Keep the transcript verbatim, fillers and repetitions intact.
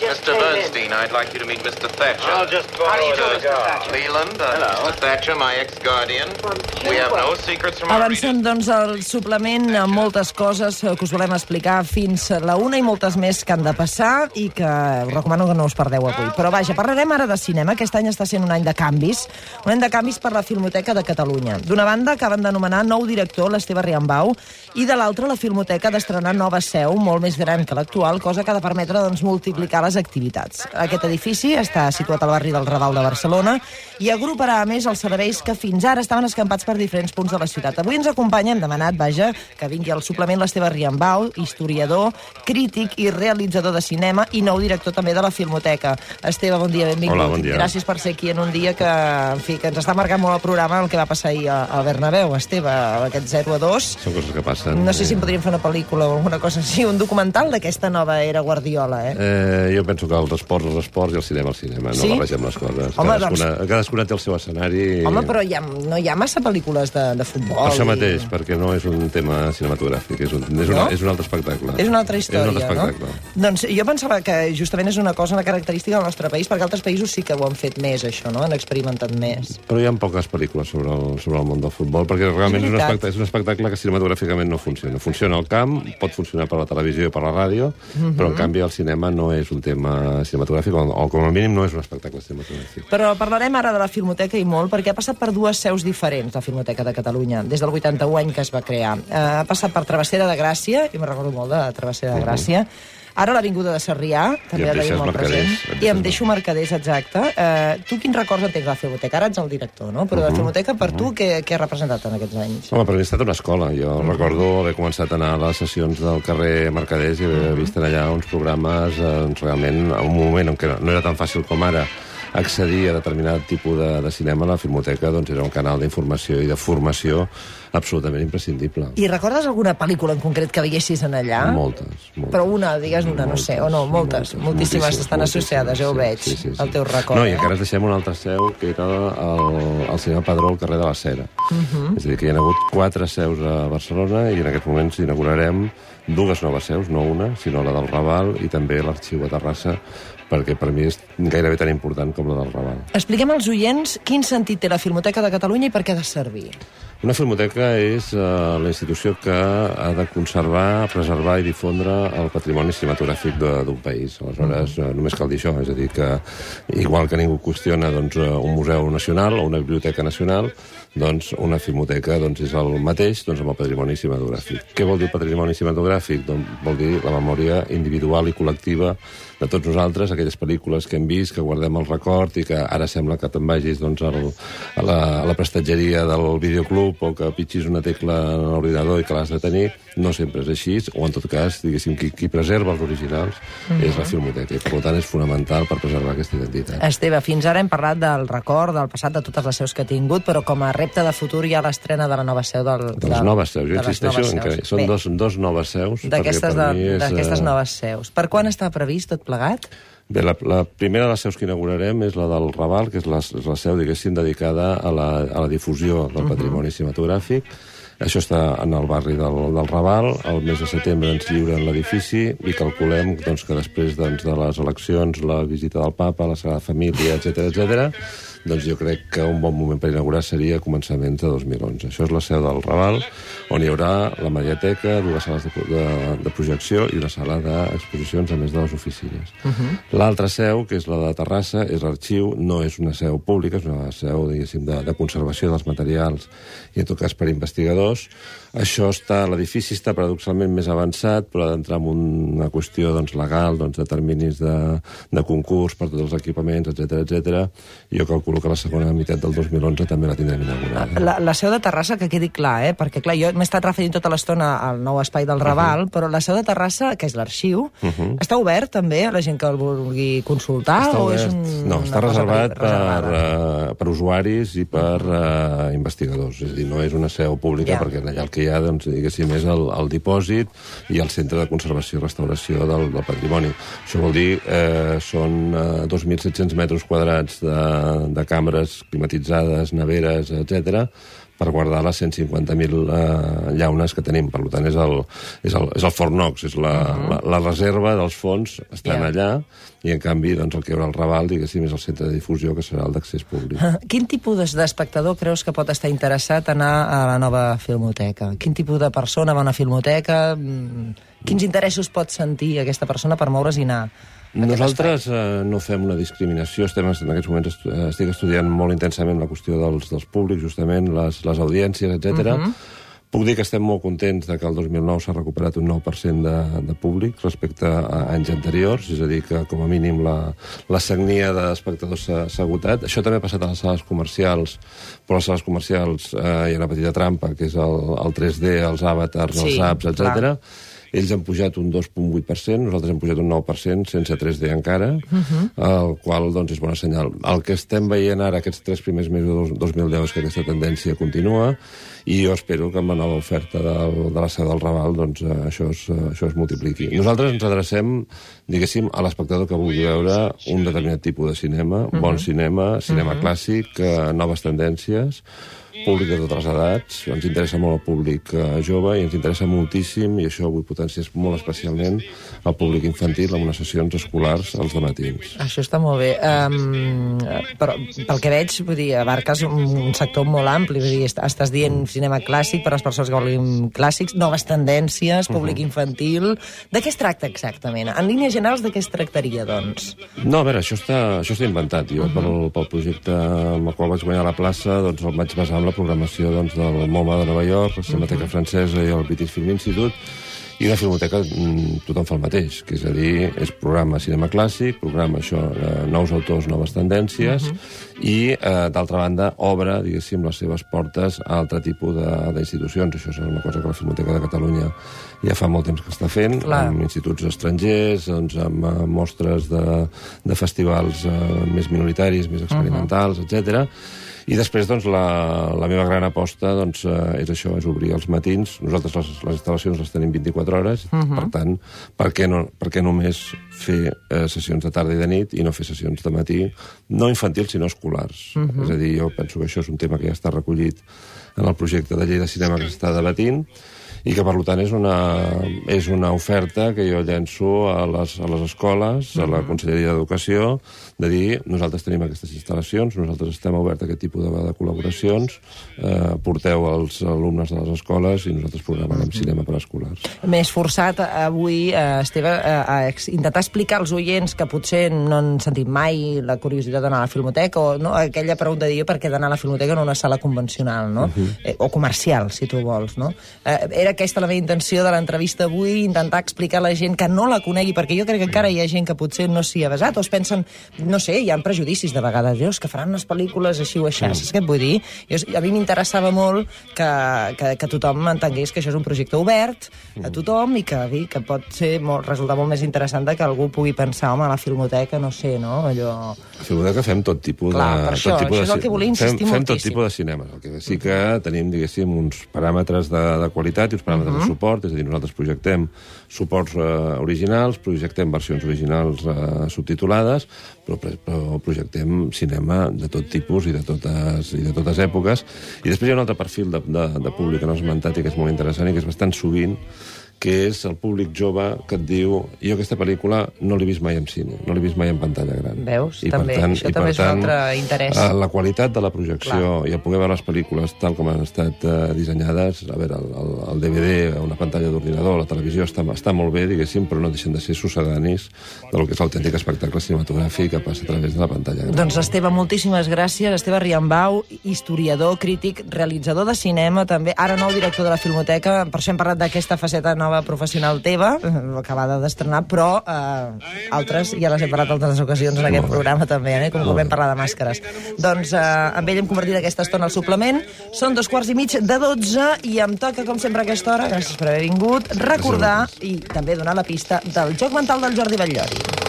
Mister Bernstein, I'd like you to meet Mister Thatcher. I'll just borrow a cigar. Leland, uh, Mister Thatcher, my ex-guardian. We have no secrets from our Avancem, doncs, el suplement amb moltes coses que us volem explicar fins la una i moltes més que han de passar i que us recomano que no us perdeu avui. Però vaja, parlarem ara de cinema. Aquest any està sent un any de canvis. Un any de canvis per la Filmoteca de Catalunya. D'una banda, acaben d'anomenar nou director, l'Esteve Riambau, i de l'altra, la Filmoteca d'estrenar nova seu, molt més gran que l'actual, cosa que ha de permetre doncs, multiplicar les activitats. Aquest edifici està situat al barri del Raval de Barcelona i agruparà, a més, els serveis que fins ara estaven escampats per diferents punts de la ciutat. Avui ens acompanya, hem demanat, vaja, que vingui al suplement l'Esteve Riambau, historiador, crític i realitzador de cinema i nou director també de la Filmoteca. Esteve, bon dia, benvingut. Hola, bon dia. Gràcies per ser aquí en un dia que, en fi, que ens està marcant molt el programa el que va passar ahir al Bernabéu. Esteve, aquest zero a dos. Són coses que passen. No sé si en podríem fer una pel·lícula o alguna cosa així, un documental d'aquesta nova era Guardiola, eh? eh jo penso que els esports, els esports i el cinema, el cinema. Sí? No barregem les coses. Home, cadascuna, doncs... cadascuna té el seu escenari. Home, però hi ha, no hi ha massa pel·lícules de, de futbol. Per això i... mateix, perquè no és un tema cinematogràfic, és un, és una, no? és un altre espectacle. És una altra història, és un altre espectacle. No? Doncs jo pensava que justament és una cosa, una característica del nostre país, perquè altres països sí que ho han fet més, això, no? Han experimentat més. Però hi ha poques pel·lícules sobre el, sobre el món del futbol, perquè realment és, és, un espectacle, és un espectacle que cinematogràficament no funciona. Funciona al camp, pot funcionar per la televisió i per la ràdio, mm-hmm. però en canvi el cinema no és un tema cinematogràfic, o, o com a mínim no és un espectacle cinematogràfic. Però parlarem ara de la Filmoteca i molt, perquè ha passat per dues seus diferents, la Filmoteca de Catalunya, des del vuitanta-u any que es va crear. Eh, ha passat per Travessera de Gràcia, i me'n recordo molt de Travessera de Gràcia, uh-huh. Ara l'Avinguda de Sarrià, també la tenim molt present. I em deixo Mercaders, exacte. Uh, tu quins records en tens de la Filmoteca? Ara ets el director, no? Però uh-huh. de la Filmoteca, per uh-huh. tu, què, què ha representat en aquests anys? Home, per mi ha estat una escola. Jo uh-huh. recordo haver començat a anar a les sessions del carrer Mercaders i haver uh-huh. vist allà uns programes eh, realment, en un moment en què no era tan fàcil com ara accedir a determinat tipus de, de cinema, la Filmoteca doncs, era un canal d'informació i de formació absolutament imprescindible. I recordes alguna pel·lícula en concret que veiessis en allà? Moltes. moltes. Però una, digues una, moltes, no sé, o no, moltes, moltes moltíssimes, moltíssimes estan moltíssimes, associades, ja ho veig, sí, sí, sí. El teu record. No, i encara ens deixem una altra seu, que era el, el cinema Padró al carrer de la Cera. Uh-huh. És a dir, que hi ha hagut quatre seus a Barcelona i en aquests moments inaugurarem dues noves seus, no una, sinó la del Raval i també l'Arxiu a Terrassa, perquè per mi és gairebé tan important com la del Raval. Expliquem als oients quin sentit té la Filmoteca de Catalunya i per què ha de servir. Una filmoteca és uh, la institució que ha de conservar, preservar i difondre el patrimoni cinematogràfic d'un país. Aleshores, uh, només cal dir això, és a dir que, igual que ningú qüestiona doncs, un museu nacional o una biblioteca nacional, doncs una filmoteca doncs, és el mateix doncs, amb el patrimoni cinematogràfic. Què vol dir patrimoni cinematogràfic? Doncs vol dir la memòria individual i col·lectiva de tots nosaltres, aquelles pel·lícules que hem vist, que guardem el record i que ara sembla que te'n vagis doncs, al, a, la, a la prestatgeria del videoclub o que pitxis una tecla en l'ordinador i que l'has de tenir. No sempre és així, o en tot cas, diguéssim, qui, qui preserva els originals uh-huh. és la Filmoteca, i per tant és fonamental per preservar aquesta identitat. Esteve, fins ara hem parlat del record, del passat, de totes les seus que ha tingut, però com a repte de futur hi ha l'estrena de la nova seu del... De les noves seus, jo insisteixo en que són dos, dos noves seus. D'aquestes és... noves seus. Per quan està previst tot plegat? Bé, la, la primera de les seus que inaugurarem és la del Raval, que és la, és la seu, diguéssim, dedicada a la, a la difusió del uh-huh. patrimoni cinematogràfic. Això està en el barri del, del Raval. El mes de setembre ens lliuren l'edifici i calculem doncs, que després doncs, de les eleccions, la visita del Papa, la Sagrada Família, etcètera, etcètera, doncs jo crec que un bon moment per inaugurar seria a començaments de dos mil onze. Això és la seu del Raval, on hi haurà la mediateca, dues sales de, de, de projecció i una sala d'exposicions, a més de les oficines. Uh-huh. L'altra seu, que és la de Terrassa, és l'arxiu, no és una seu pública, és una seu, diguéssim, de, de conservació dels materials i, en tot cas, per investigadors. Això està, l'edifici està paradoxalment més avançat, però ha d'entrar en una qüestió doncs, legal, doncs, de terminis de, de concurs per tots els equipaments, etcètera, etcètera. Jo calculo que la segona meitat del dos mil onze també la tindrem inaugurada. La, la seu de Terrassa, que quedi clar, eh? Perquè clar, jo m'he estat referint tota l'estona al nou espai del Raval, uh-huh. però la seu de Terrassa, que és l'arxiu, uh-huh. està obert també a la gent que el vulgui consultar? Està o obert. És un, no, està reservat per, uh, per usuaris i per uh, investigadors. És a dir, no és una seu pública, yeah. perquè allà el que hi ha, doncs, diguéssim, és el, el dipòsit i el centre de conservació i restauració del, del patrimoni. Això vol dir, eh, són uh, dos mil set-cents metres quadrats de, de càmeres climatitzades, neveres, etcètera, per guardar les cent cinquanta mil eh, llaunes que tenim. Per tant, és el, és el, és el Fort Knox, és la, uh-huh. la, la reserva dels fons estan yeah. allà, i en canvi doncs, el que hi haurà al Raval, diguéssim, és el centre de difusió, que serà el d'accés públic. Quin tipus d'espectador creus que pot estar interessat a anar a la nova Filmoteca? Quin tipus de persona va a una filmoteca? Quins interessos pot sentir aquesta persona per moure's i anar? Nosaltres eh, no fem una discriminació. Estem, en aquests moments estu estic estudiant molt intensament la qüestió dels, dels públics, justament, les, les audiències, etcètera. Uh-huh. Puc dir que estem molt contents de que el dos mil nou s'ha recuperat un nou per cent de, de públic respecte a anys anteriors, és a dir, que com a mínim la, la sagnia d'espectadors s'ha agotat. Això també ha passat a les sales comercials, però a les sales comercials eh, hi ha una petita trampa, que és el, el tres D, els avatars, sí, els apps, etcètera. Ells han pujat un dos coma vuit per cent, nosaltres hem pujat un nou per cent, sense tres D encara, uh-huh. el qual doncs, és bona senyal. El que estem veient ara, aquests tres primers mesos de dos mil deu, és que aquesta tendència continua, i jo espero que amb la nova oferta del, de la seu del Raval doncs, això, es, això es multipliqui. Nosaltres ens adrecem, diguéssim, a l'espectador que vulgui veure un determinat tipus de cinema, uh-huh. bon cinema, cinema uh-huh. clàssic, eh, noves tendències, públic de totes les edats. Ens interessa molt el públic eh, jove i ens interessa moltíssim, i això vull potenciar molt especialment, el públic infantil amb unes sessions escolars als dematins. Això està molt bé. Um, però pel que veig, vull dir, abarques un sector molt ampli. Vull dir, estàs dient cinema clàssic per a les persones que volen clàssics, noves tendències, públic uh-huh. infantil... De què es tracta exactament? En línies generals, de què es tractaria, doncs? No, a veure, això està, això està inventat. Jo, uh-huh. pel, pel projecte amb el qual vaig guanyar la plaça, doncs el vaig basar en la programació doncs, del MoMA de Nova York, la Cinemateca uh-huh. Francesa i el British Film Institute, i una filmoteca tothom fa el mateix, que és a dir, és programa cinema clàssic, programa això, eh, nous autors, noves tendències, uh-huh. i, eh, d'altra banda, obre, diguéssim, les seves portes a altre tipus d'institucions. Això és una cosa que la Filmoteca de Catalunya ja fa molt temps que està fent, Clar. amb instituts estrangers, doncs, amb uh, mostres de, de festivals uh, més minoritaris, més experimentals, uh-huh. etcètera. I després, doncs, la, la meva gran aposta doncs, eh, és això, és obrir els matins. Nosaltres les, les instal·lacions les tenim vint-i-quatre hores, uh-huh. per tant, per què, no, per què només fer eh, sessions de tarda i de nit i no fer sessions de matí, no infantils, sinó escolars. Uh-huh. És a dir, jo penso que això és un tema que ja està recollit en el projecte de llei de cinema que s'està debatint, i que, per tant, és una, és una oferta que jo llenço a les, a les escoles, a la Conselleria d'Educació, de dir, nosaltres tenim aquestes instal·lacions, nosaltres estem oberts a aquest tipus de, de col·laboracions, eh, porteu els alumnes de les escoles i nosaltres programarem uh-huh. cinema per a escolars. M'he esforçat avui, eh, Esteve, a, a intentar explicar als oients que potser no han sentit mai la curiositat d'anar a la Filmoteca, o no, aquella pregunta de dir per què d'anar a la Filmoteca en una sala convencional, no? Uh-huh. eh, o comercial, si tu vols, no? Eh, era aquesta la meva intenció de l'entrevista avui, intentar explicar a la gent que no la conegui, perquè jo crec que encara hi ha gent que potser no s'hi ha basat, o es pensen, no sé, hi ha prejudicis de vegades, Dios, que faran unes pel·lícules així o així, mm. saps què et vull dir? Jo, a mi m'interessava molt que, que, que tothom entengués que això és un projecte obert a tothom i que, dir, que pot ser molt, resultar molt més interessant que algú pugui pensar, home, a la Filmoteca, no sé, no? Allò... A la Filmoteca fem tot tipus Clar, de... per això, tot tipus això és el que volia insistir fem, moltíssim. Fem tot tipus de cinema, el que sí que tenim, diguéssim, uns paràmetres de, de qualitat i uns paràmetres uh-huh. de suport, és a dir, nosaltres projectem suports eh, originals, projectem versions originals eh, subtitulades, però, però projectem cinema de tot tipus i de totes, i de totes èpoques. I després hi ha un altre perfil de, de, de públic que no has esmentat i que és molt interessant i que és bastant sovint, que és el públic jove que et diu jo aquesta pel·lícula no l'he vist mai en cine, no l'he vist mai en pantalla gran. Veus? I també, per tant, això i també per és un altre interès. tant, la qualitat de la projecció Clar. i el poder veure les pel·lícules tal com han estat uh, dissenyades, a veure, el, el, el D V D, una pantalla d'ordinador, la televisió està, està molt bé, diguéssim, però no deixen de ser succedanis del que és l'autèntic espectacle cinematogràfic que passa a través de la pantalla gran. Doncs Esteve, moltíssimes gràcies. Esteve Riambau, historiador, crític, realitzador de cinema, també, ara nou director de la Filmoteca, per això hem parlat d'aquesta faceta nova professional teva, acabada d'estrenar, però eh, altres ja les hem parlat altres ocasions en aquest programa també, eh, com que vam parlar de màscares. Doncs eh, amb ell hem convertit aquesta estona al suplement. Són dos quarts i mig de dotze i em toca, com sempre, a aquesta hora, gràcies per haver vingut, recordar i també donar la pista del Joc Mental del Jordi Batllori.